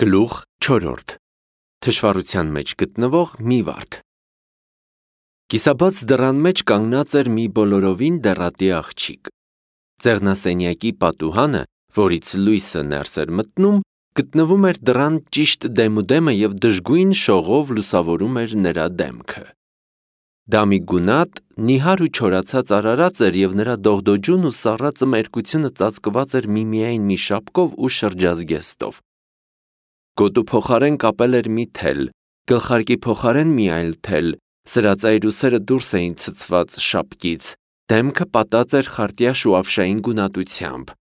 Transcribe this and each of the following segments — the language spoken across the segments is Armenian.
Գլուխ 4. Թշվառության մեջ գտնվող մի վարդ։ Կիսաբաց դռան մեջ կանգնած էր մի բոլորովին դեռատի աղջիկ։ Ձեղնասենյակի պատուհանը, որից լույսը ներս էր մտնում, գտնվում էր դռան ճիշտ դեմուդեմը և դժգույն շողով լուսավորում էր նրա դեմքը։ Դա մի գունատ, նիհար ու չորացած արարած էր և նրա դողդոջուն ու սառած մերկությունը ծածկված էր միմիայն մի շապկով ու շրջազգեստով։ Գոտու փոխարեն կապել էր մի թել, գլխարկի փոխարեն մի այլ թել, սրածայր ուսերը դուրս էին ցցված շապկից, դեմքը պատած էր խարտյա շուաֆշային գունատությամբ,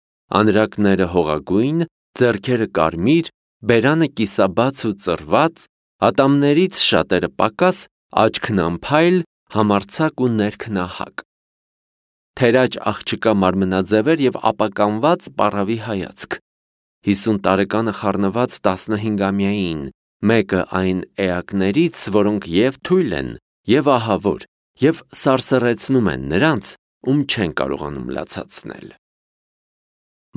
անրակները հողագույն, ձեռքերը կարմիր, բերանը կիսաբաց ու ծռված, ատամներից շատերը պակաս, աչքն անփայլ, համարձակ ու ներքնահակ։ Թերաջ աղջկա մարմնաձև և ապականված պառավի հայացք։ 50 տարեկանը խառնված 15-ամյային, մեկը այն էակներից, որոնք և թույլ են, և ահավոր, և սարսռեցնում են նրանց, ում չեն կարողանում լացացնել։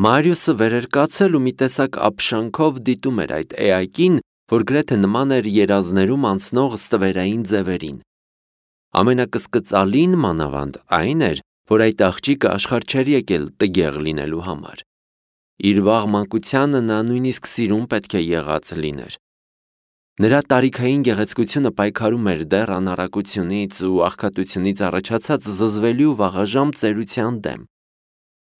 Մարիուսը վեր էր կացել ու մի տեսակ ապշանքով դիտում էր այդ էակին, որ գրեթե նման էր երազներում անցնող ստվերային ձևերին։ Ամենակսկծալին մանավանդ այն էր, որ այդ աղջիկը աշխարհ չէր եկել տգեղ լինելու համար։ Իր վաղ մանկությանը նա նույնիսկ սիրուն պետք է եղած լիներ։ Նրա տարիքային գեղեցկությունը պայքարում էր դեռ անառակությունից ու աղքատությունից առաջացած զզվելի ու վաղաժամ ծերության դեմ։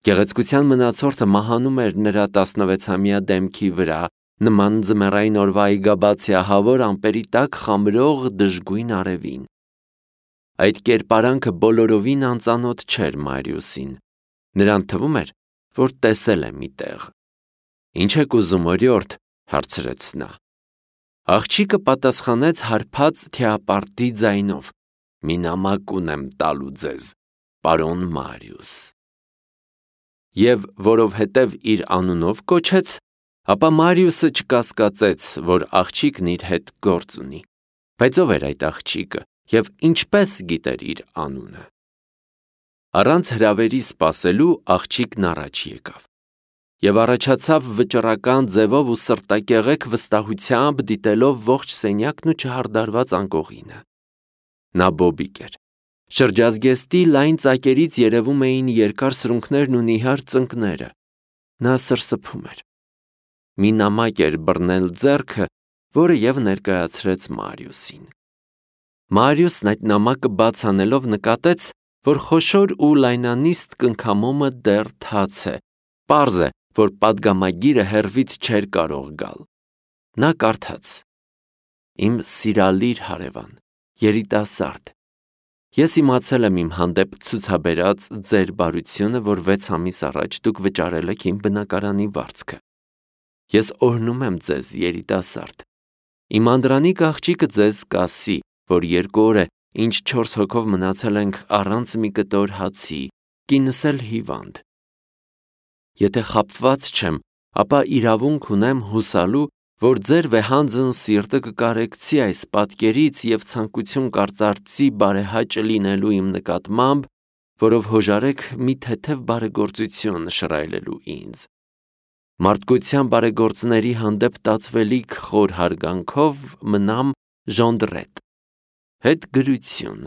Գեղեցկության մնացորդը մահանում էր նրա 16-ամյա դեմքի վրա, նման ձմեռային օրվա այգաբացիահավոր ամպերի տակ խամրող դժգույն արևին։ Այդ կերպարանքը բոլորովին անծանոթ չէր Մարիուսին։ Նրան թվում էր, որ տեսել է մի տեղ։ «Ինչ եք ուզում, օրիորդ», հարցրեց նա։ Աղջիկը պատասխանեց հարբած թիապարտի ձայնով. «Մի նամակ ունեմ տալու ձեզ, պարոն Մարիուս»։ Եվ որովհետև իր անունով կոչեց, ապա Մարիուսը չկասկածեց, որ աղջիկն իր հետ գործ ունի։ Բայց ով էր այդ աղջիկը և ինչպես գիտեր իր անունը։ Առանց հրավերի սպասելու աղջիկն առաջ եկավ և առաջացավ վճռական ձևով ու սրտակեղեք վստահությամբ դիտելով ողջ սենյակն ու չհարդարված անկողինը։ Նա բոբիկ էր։ Շրջազգեստի լայն ծակերից երևում էին երկար սրունքներն ու նիհար ծնկները։ Նա սրսփում էր։ Մի նամակ էր բռնել ձեռքը, որը և ներկայացրեց Մարիուսին։ Մարիուսն այդ նամակը բաց անելով նկատեց, որ խոշոր ու լայնանիստ կնքամոմը դեռ թաց է, պարզ է, որ պատգամագիրը հեռվից չէր կարող գալ։ Նա կարդաց. «Իմ սիրալիր հարևան, երիտասարդ, ես իմացել եմ իմ հանդեպ ցուցաբերած ձեր բարությունը, որ 6 ամիս առաջ դուք վճարել եք իմ բնակարանի վարձքը։ Ես օրհնում եմ ձեզ, երիտասարդ։ Իմ անդրանիկ աղջիկը ձեզ կասի, որ 2 օր է, ինչ 4 հոգով մնացել ենք առանց մի կտոր հացի, կինս էլ հիվանդ։ Եթե խաբված չեմ, ապա իրավունք ունեմ հուսալու, որ ձեր վեհանձն սիրտը կկարեկցի այս պատկերից և ցանկություն կարծարծի բարեհաճ լինելու իմ նկատմամբ, որով հոժարեք մի թեթև բարեգործություն շռայլելու ինձ։ Մարդկության բարեգործների հանդեպ տածվելիք խոր հարգանքով մնամ Ժոնդրետ։ Հետ գրություն։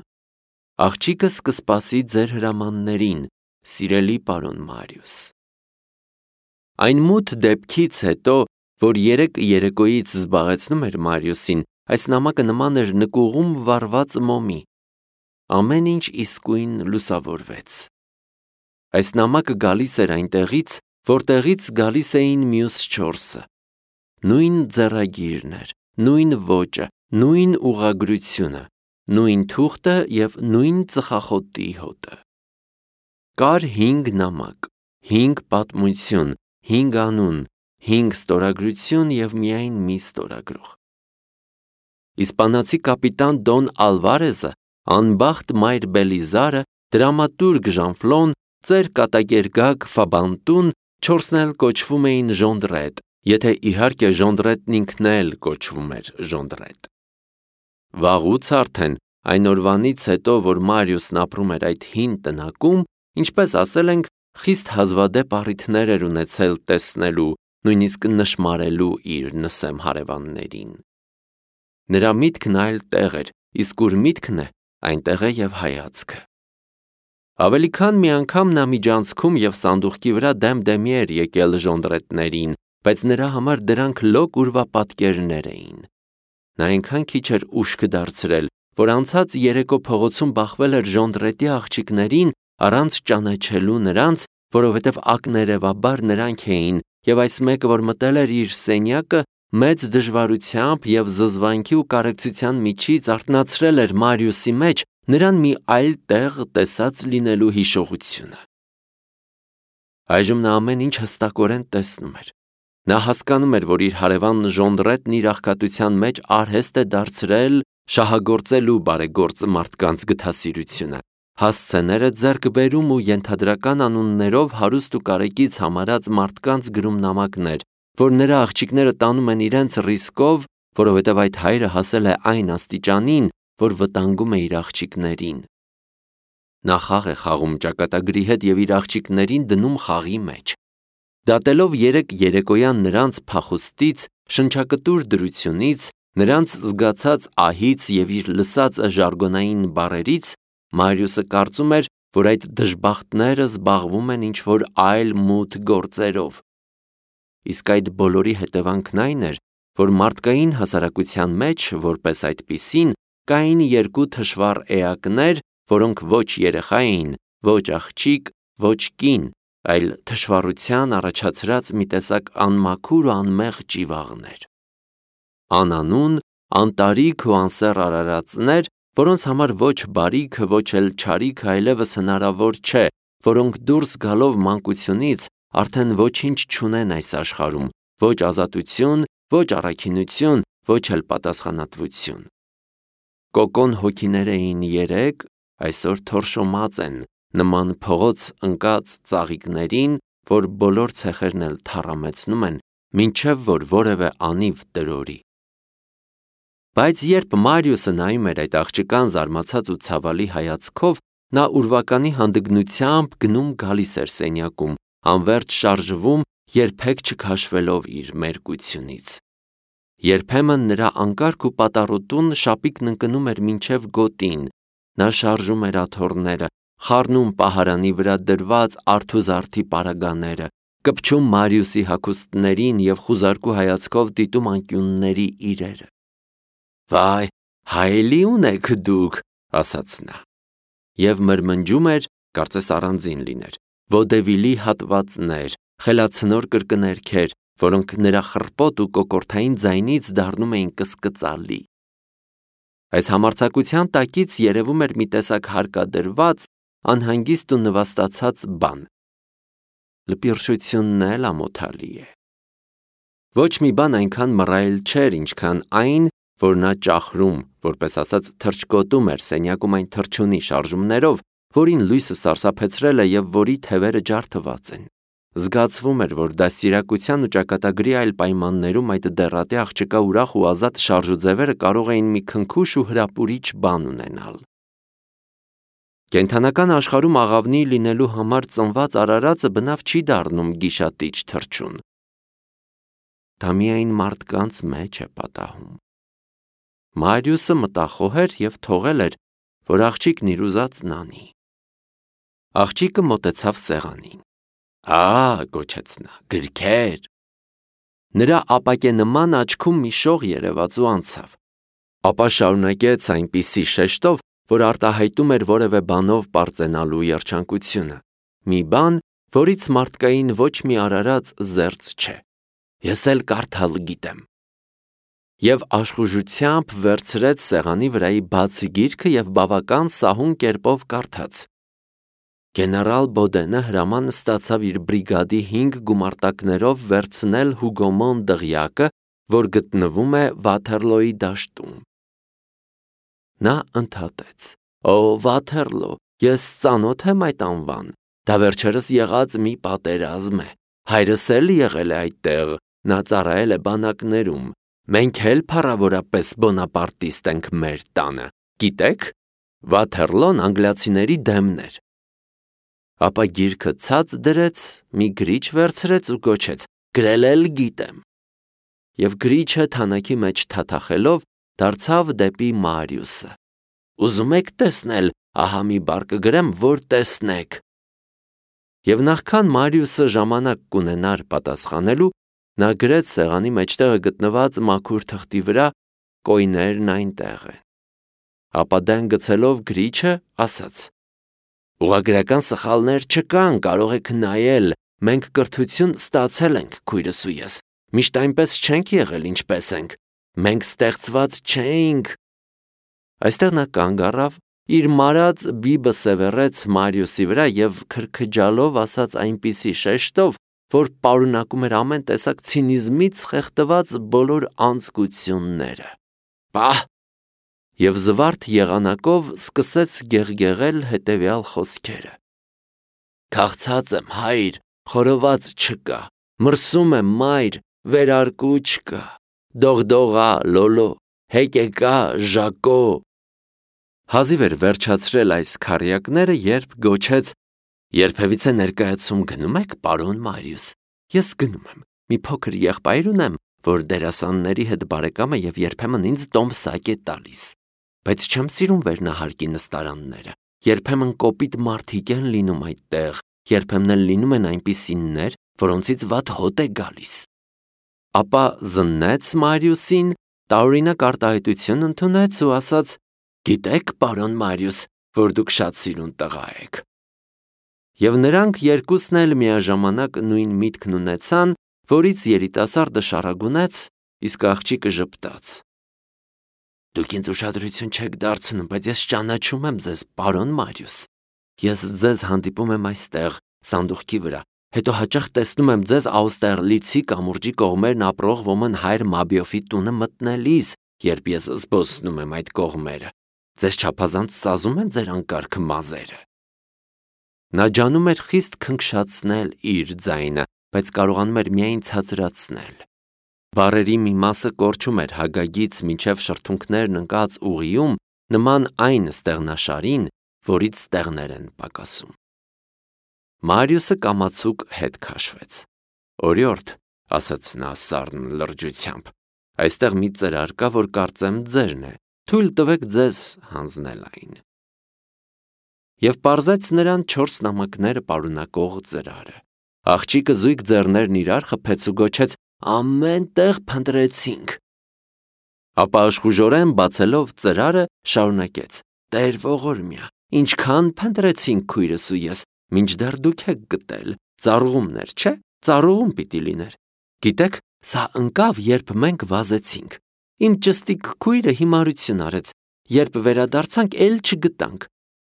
Աղջիկս կսպասի ձեր հրամաններին, սիրելի պարոն Մարիուս։ Այն մութ դեպքից հետո, որ երեկոյից զբաղեցնում էր Մարիուսին, այս նամակը նման էր նկուղում վառված մոմի։ Ամեն ինչ իսկույն լուսավորվեց։ Այս նամակը գալիս էր այնտեղից, որտեղից գալիս էին մյուս 4-ը։ Նույն ձեռագիրն էր, նույն ոճը, նույն ուղղագրությունը, նույն թուղթը և նույն ծխախոտի հոտը։ Կար 5 նամակ, 5 պատմություն, 5 անուն, 5 ստորագրություն և միայն մի ստորագրող։ Իսպանացի կապիտան Դոն Ալվարեզը, անբախտ մայր Բելիզարը, դրամատուրգ Ժանֆլոն, ծեր կատակերգակ Ֆաբանտուն, 4-ն էլ կոչվում էին Ժոնդրետ, եթե իհարկե Ժոնդրետն ինքն էլ կոչվում էր Ժոնդրետ։ Վաղուց արդեն, այն օրվանից հետո, որ Մարիուսն ապրում էր այդ հին տնակում, ինչպես ասել ենք, խիստ հազվադեպ առիթներ էր ունեցել տեսնելու, նույնիսկ նշմարելու իր նսեմ հարևաններին։ Նրա միտքն այլ տեղ էր, իսկ ուր միտքն է, այնտեղ է և հայացքը։ Ավելի քան մի անգամ նա միջանցքում և սանդուղքի վրա դեմ-դեմի էր եկել ժոնդրետներին, բայց նրա համար դրանք լոկ ուրվապատկերներ էին։ Նա այնքան քիչ էր ուշք դարձրել, որ անցած երեկո փողոցում բախվել էր ժոնդրետի աղջիկներին առանց ճանաչելու նրանց, որովհետև ակներևաբար նրանք էին, և այս մեկը, որ մտել էր իր սենյակը, մեծ դժվարությամբ և զզվանքի ու կարեկցության միջից արթնացրել էր Մարիուսի մեջ նրան մի այլ տեղ տեսած լինելու հիշողությունը։ Այժմ նա ամեն ինչ հստակորեն տեսնում էր։ Նա հասկանում էր, որ իր հարևան ժոնդրետն իր աղքատության մեջ արհեստ է դարձրել շահագործելու բարեգործ մարդկանց գթասիրությունը, հասցեները ձեռք բերում ու ենթադրական անուններով հարուստ ու կարեկից համարած մարդկանց գրում նամակներ, որ նրա աղջիկները տանում են իրենց ռիսկով, որովհետև այդ հայրը հասել է այն աստիճանին, որ վտանգում է իր աղջիկներին։ Նա խաղ է խաղում ճակատագրի հետ և իր աղջիկներին դնում խաղի մեջ։ Դատելով երեկ երեկոյան նրանց փախուստից, շնչակտուր դրությունից, նրանց զգացած ահից և իր լսած ժարգոնային բառերից, Մարիուսը կարծում էր, որ այդ դժբախտները զբաղվում են ինչ-որ այլ մութ գործերով։ Իսկ այդ բոլորի հետևանքն այն էր, որ մարդկային հասարակության մեջ, որպես այդպիսին, կային երկու թշվառ էակներ, որոնք ոչ երեխա էին, ոչ աղջիկ, ոչ կին, այլ թշվառության առաջացրած մի տեսակ անմաքուր ու անմեղ ճիվաղներ։ Անանուն, անտարիք ու անսեռ արարածներ, որոնց համար ոչ բարիքը, ոչ էլ չարիքը այլևս հնարավոր չէ, որոնք դուրս գալով մանկությունից արդեն ոչինչ չունեն այս աշխարհում, ոչ ազատություն, ոչ առաքինություն, ոչ էլ պատասխանատվություն։ Կոկոն հոգիներ էին երեկ, այսօր թորշոմած են, նման փողոց ընկած ծաղիկներին, որ բոլոր ցեխերն էլ թառամեցնում են, մինչև որ որևէ անիվ տրորի։ Բայց երբ Մարիուսը նայում էր այդ աղջկան զարմացած ու ցավալի հայացքով, նա ուրվականի հանդգնությամբ գնում գալիս էր սենյակում, անվերջ շարժվում, երբեք չքաշվելով իր մերկությունից։ Երբեմն նրա անկարգ ու պատառոտուն շապիկն ընկնում էր մինչև գոտին, նա շարժում էր աթոռները, խառնում պահարանի վրա դրված արթուզարդի պարագաները, կպչում Մարիուսի հագուստներին և խուզարկու հայացքով դիտում անկյունների իրերը։ «Վայ, հայելի ունեք դուք», ասաց նա, և մրմնջում էր, կարծես առանձին լիներ, ոդևիլի հատվածներ, խելացնոր կրկներգեր, որոնք նրա խռպոտ ու կոկորդային ձայնից դառնում էին կսկծալի։ Այս համարձակության տակից երևում էր մի տեսակ հարկադրված, անհանգիստ ու նվաստացած բան։ Լպիրշությունն էլ ամոթալի է։ Ոչ մի բան այնքան մռայլ չէր, ինչքան այն, որ նա ճախրում, որպես ասած թռչկոտում էր սենյակում այն թռչունի շարժումներով, որին լույսը սարսափեցրել է և որի թևերը ջարդված են։ Զգացվում էր, որ դաստիարակության ու ճակատագրի այլ պայմաններում այդ դեռատի աղջկա ուրախ ու ազատ շարժուձևերը կարող էին մի քնքուշ ու հրապուրիչ բան ունենալ։ Կենդանական աշխարհում աղավնի լինելու համար ծնված արարածը բնավ չի դառնում գիշատիչ թռչուն։ Դա միայն մարդկանց մեջ է պատահում։ Մարիուսը մտախոհ էր և թողել էր, որ աղջիկն իր ուզածն անի։ Աղջիկը մոտեցավ սեղանին։ Գոչեց նա, գրքեր։ Նրա ապակենման աչքում մի շող երևաց ու անցավ։ Ապա շարունակեց այնպիսի շեշտով, որ արտահայտում էր որևէ բանով պարծենալու երջանկությունը։ Մի բան, որից մարդկային ոչ մի արարած զերծ չէ։ Ես էլ կարդալ գիտեմ։ Եվ աշխուժությամբ վերցրեց սեղանի վրայի բաց գիրքը և բավական սահուն կերպով կարդաց։ Գեներալ Բոդենը հրաման ստացավ իր բրիգադի 5 գումարտակներով վերցնել Հուգոմոն դղյակը, որ գտնվում է Վաթերլոյի դաշտում։ Նա ընդհատեց. Վաթերլո, ես ծանոթ եմ այդ անվան, դա վերջերս եղած մի պատերազմ է, հայրս էլ եղել է այդտեղ, նա ծառայել է բանակներում, մենք էլ փառավորապես բոնապարտիստ ենք մեր տանը, գիտեք, Վաթերլոն անգլիացիների դեմն էր։ Ապա գիրքը ցած դրեց, մի գրիչ վերցրեց ու գոչեց. գրել էլ գիտեմ։ Եվ գրիչը թանաքի մեջ թաթախելով դարձավ դեպի Մարիուսը։ Ուզում եք տեսնել, ահա մի բառ կգրեմ, որ տեսնեք։ Եվ նախքան Մարիուսը ժամանակ կունենար պատասխանելու, նա գրեց սեղանի մեջտեղը գտնված մաքուր թղթի վրա կոյներն այնտեղ են։ Ապա դեն գցելով գրիչը ասաց. Ուղղագրական սխալներ չկան, կարող եք նայել, մենք կրթություն ստացել ենք, քույրս ու ես, միշտ այնպես չենք եղել, ինչպես ենք, մենք ստեղծված չէինք։ Այստեղ նա կանգ առավ, իր մարած բիբը սևեռեց Մարիուսի վրա և քրքջալով ասաց այնպիսի շեշտով, որ պարունակում էր ամեն տեսակ ցինիզմից խեղդված բոլոր անձկությունները։ Պահ! Եվ զվարթ եղանակով սկսեց գեղգեղել հետևյալ խոսքերը. Քաղցած եմ, հայր, խորոված չկա, մրսում եմ, մայր, վերարկու չկա, դողդողա, լոլո, հեկեկա, ժակո։ Հազիվ էր վերջացրել այս քառյակները, երբ գոչեց. Երբևիցե ներկայացում գնում եք, պարոն Մարիուս։ Ես գնում եմ, մի փոքր եղբայր ունեմ, որ դերասանների հետ բարեկամ է և երբեմն ինձ տոմսակ է տալիս։ Բայց չեմ սիրում վերնահարկի նստարանները, երբեմն կոպիտ մարդիկ են լինում այդտեղ, երբեմն էլ լինում են այնպիսիններ, որոնցից վատ հոտ է գալիս։ Ապա զննեց Մարիուսին, տարօրինակ արտահայտություն ընդունեց ու ասաց. Գիտեք, պարոն Մարիուս, որ դուք շատ սիրուն տղա եք։ Եվ նրանք երկուսն էլ միաժամանակ նույն միտքն ունեցան, որից երիտասարդը շարագունեց, իսկ աղջիկը ժպտաց։ Դուք ինձ ուշադրություն չեք դարձնում, բայց ես ճանաչում եմ ձեզ, պարոն Մարիուս։ Ես ձեզ հանդիպում եմ այստեղ, սանդուղքի վրա, հետո հաճախ տեսնում եմ ձեզ Աուստերլիցի կամուրջի կողմերն ապրող ոմն հայր Մաբիոֆի տունը մտնելիս, երբ ես զբոսնում եմ այդ կողմերը։ Ձեզ չափազանց սազում են ձեր անկարգ մազերը։ Նա ջանում էր խիստ քնքշացնել իր ձայնը, բայց կարողանում էր միայն ցածրացնել։ Բառերի մի մասը կորչում էր հագագից մինչև շրթունքներն ընկած ուղիում, նման այն ստեղնաշարին, որից ստեղներ են պակասում։ Մարիուսը կամացուկ հետ քաշվեց։ Օրիորդ, ասաց նա սառն լրջությամբ, այստեղ մի ծրար կա, որ կարծեմ ձերն է, թույլ տվեք ձեզ հանձնել այն։ Եվ պարզեց նրան 4 նամակները պարունակող ծրարը։ Աղջիկը զույգ ձեռներն իրար խփեց ու գոչեց. ամեն տեղ փնտրեցինք։ Ապա աշխուժորեն բացելով ծրարը շարունակեց. Տեր ողորմյա, ինչքան փնտրեցինք քույրս ու ես, մինչդեռ դուք եք գտել, ծառուղումներ, չէ՞, ծառուղում պիտի լիներ։ Գիտեք, սա ընկավ, երբ մենք վազեցինք։ Իմ ճստիկ քույրը հիմարություն արեց, երբ վերադարձանք, էլ չգտանք։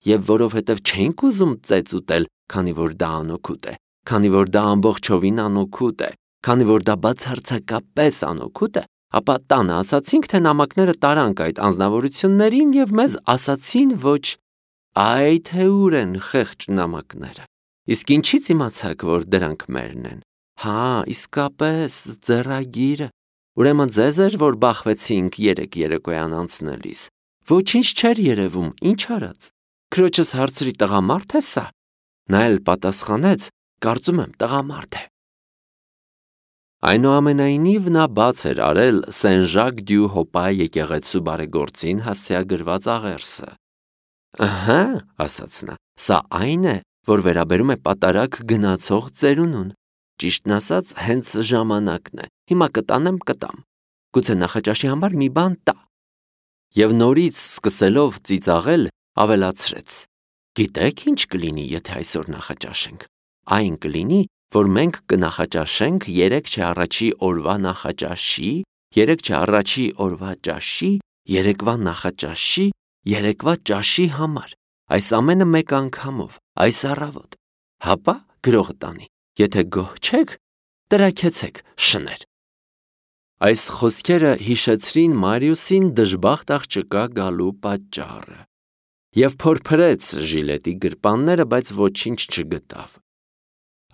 Եվ որովհետև չենք ուզում ծեծ ուտել, քանի որ դա անօգուտ է, քանի որ դա ամբողջովին անօգուտ է, քանի որ դա բացարձակապես անօգուտ է, ապա տանը ասացինք, թե նամակները տարանք այդ անձնավորություններին և մեզ ասացին ոչ, այ թե ուր են խեղճ նամակները։ Իսկ ինչից իմացաք, որ դրանք մերն են։ Հա, իսկապես, ձեռագիրը։ Ուրեմն ձեզ էր, որ բախվեցինք 3 երեկոյան անցնելիս։ Ոչինչ չէր երևում, ինչ արած։ Քրոջս հարցրի տղամարդ է սա։ Նա էլ պատասխանեց, կարծում եմ տղամարդ է։ Այնուամենայնիվ նա բաց էր արել Սեն-Ժակ դյու Հոպա եկեղեցու բարեգործին հասցեագրված աղերսը։ Ըհը, ասաց նա, սա այն է, որ վերաբերում է պատարագ գնացող ծերունուն։ Ճիշտն ասած, հենց ժամանակն է։ Հիմա կտամ։ Գուցե նախաճաշի համար մի բան տա։ Եվ նորից սկսելով ծիծաղել, ավելացրեց. Գիտեք ինչ կլինի, եթե այսօր նախաճաշենք։ Այն կլինի, որ մենք կնախաճաշենք 3 չառաջի օրվա նախաճաշի, 3 չառաջի օրվա ճաշի, երեկվա նախաճաշի, երեկվա ճաշի համար։ Այս ամենը մեկ անգամով, այս առավոտ։ Հապա գրող տանի, եթե գոհ չեք, տրաքեցեք, շներ։ Այս խոսքերը հիշեցրին Մարիուսին դժբախտ աղջկա գալու պատճառը։ Եվ փորփրեց ժիլետի գրպանները, բայց ոչինչ չգտավ։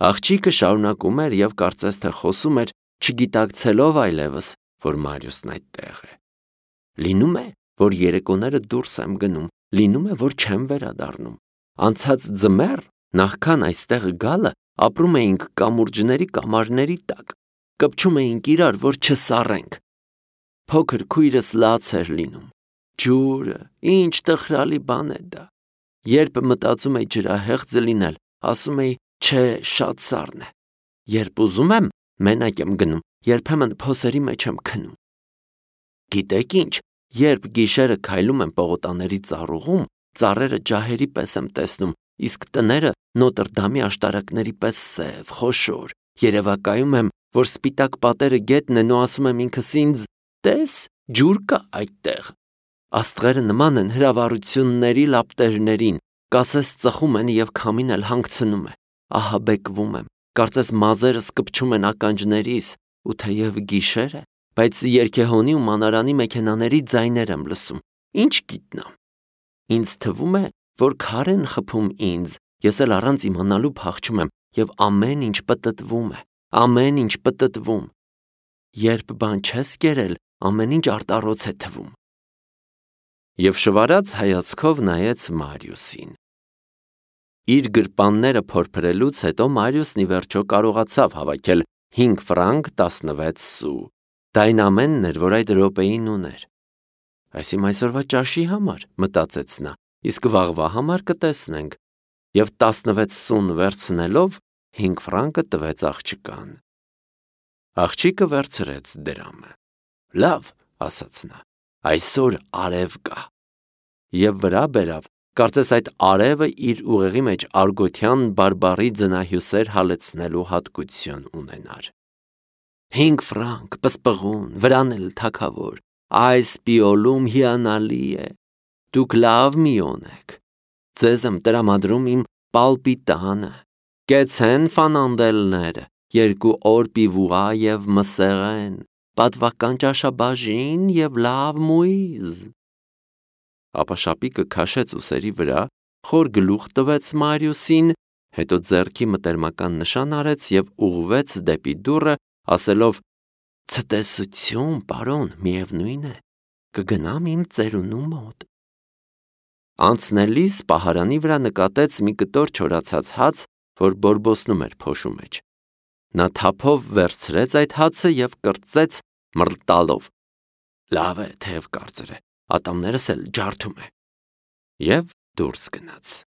Աղջիկը շարունակում էր և կարծես թե խոսում էր, չգիտակցելով այլևս, որ Մարիուսն այդտեղ է։ Լինում է, որ երեկոները դուրս եմ գնում, լինում է, որ չեմ վերադառնում։ Անցած ձմեռ, նախքան այստեղ գալը, ապրում էինք կամուրջների կամարների տակ։ կպչում էինք իրար, որ չսառենք։ Փոքր քույրս լաց էր լինում։ Ջուրը, ինչ տխրալի բան է դա։ Երբ մտածում էի ջրահեղձ լինել, ասում էի, չէ, շատ սառն է։ Երբ ուզում եմ, մենակ եմ գնում, երբեմն փոսերի մեջ եմ քնում։ Գիտեք ինչ, երբ գիշերը քայլում եմ պողոտաների ծառուղում, ծառերը ջահերի պես եմ տեսնում, իսկ տները Նոտրդամի աշտարակների պես սև, խոշոր։ Երևակայում եմ, որ սպիտակ պատերը գետն են ու ասում եմ ինքս ինձ. տես, ջուր կա այդտեղ։ Աստղերը նման են հրավառությունների լապտերներին, կասես ծխում են և քամին էլ հանգցնում է։ Ահաբեկվում եմ, կարծես մազերս կպչում են ականջներիս, ու թեև գիշեր է, բայց երգեհոնի ու մանարանի մեքենաների ձայներ եմ լսում, ինչ գիտնամ։ Ինձ թվում է, որ քար են խփում ինձ, ես էլ առանց իմանալու փախչում եմ և ամեն ինչ պտտվում է, ամեն ինչ պտտվում։ Երբ բան չես կերել, ամեն ինչ արտառոց է թվում։ Եվ շվարած հայացքով նայեց Մարիուսին։ Իր գրպանները փորփրելուց հետո Մարիուսն ի վերջո կարողացավ հավաքել 5 ֆրանկ 16 սու։ Դա այն ամենն էր, որ այդ րոպեին ուներ։ Այս իմ այսօրվա ճաշի համար, մտածեց նա, իսկ վաղվա համար կտեսնենք։ Եվ 16 սուն վերցնելով 5 ֆրանկը տվեց աղջկան։ Աղջիկը վերցրեց դրամը։ Լավ, ասաց նա, այսօր արև կա։ Եվ վրա բերավ, կարծես այդ արևը իր ուղեղի մեջ արգոթյան բարբառի ձնահյուսեր հալեցնելու հատկություն ունենար։ 5 ֆրանկ, պսպղուն, վրան էլ թագավոր, այս պիոլում հիանալի է, դուք լավ մի օնեք, ձեզ եմ տրամադրում իմ պալպիտանը, կեցեն ֆանանդելները, 2 օր պիվուա և մսեղեն, պատվական ճաշաբաժին և լավ մույզ։ Ապա շապիկը քաշեց ուսերի վրա, խոր գլուխ տվեց Մարիուսին, հետո ձեռքի մտերմական նշան արեց և ուղղվեց դեպի դուռը, ասելով. «Ցտեսություն, պարոն, միևնույն է, կգնամ իմ ծերունու մոտ»։ Անցնելիս պահարանի վրա նկատեց մի կտոր չորացած հաց, որ բորբոսնում էր փոշու մեջ։ Նա թափով վերցրեց այդ հացը և կրծեց մռտալով։ Լավ է, թեև կարծր է, ատամներս էլ ջարդում է։ Եվ դուրս գնաց։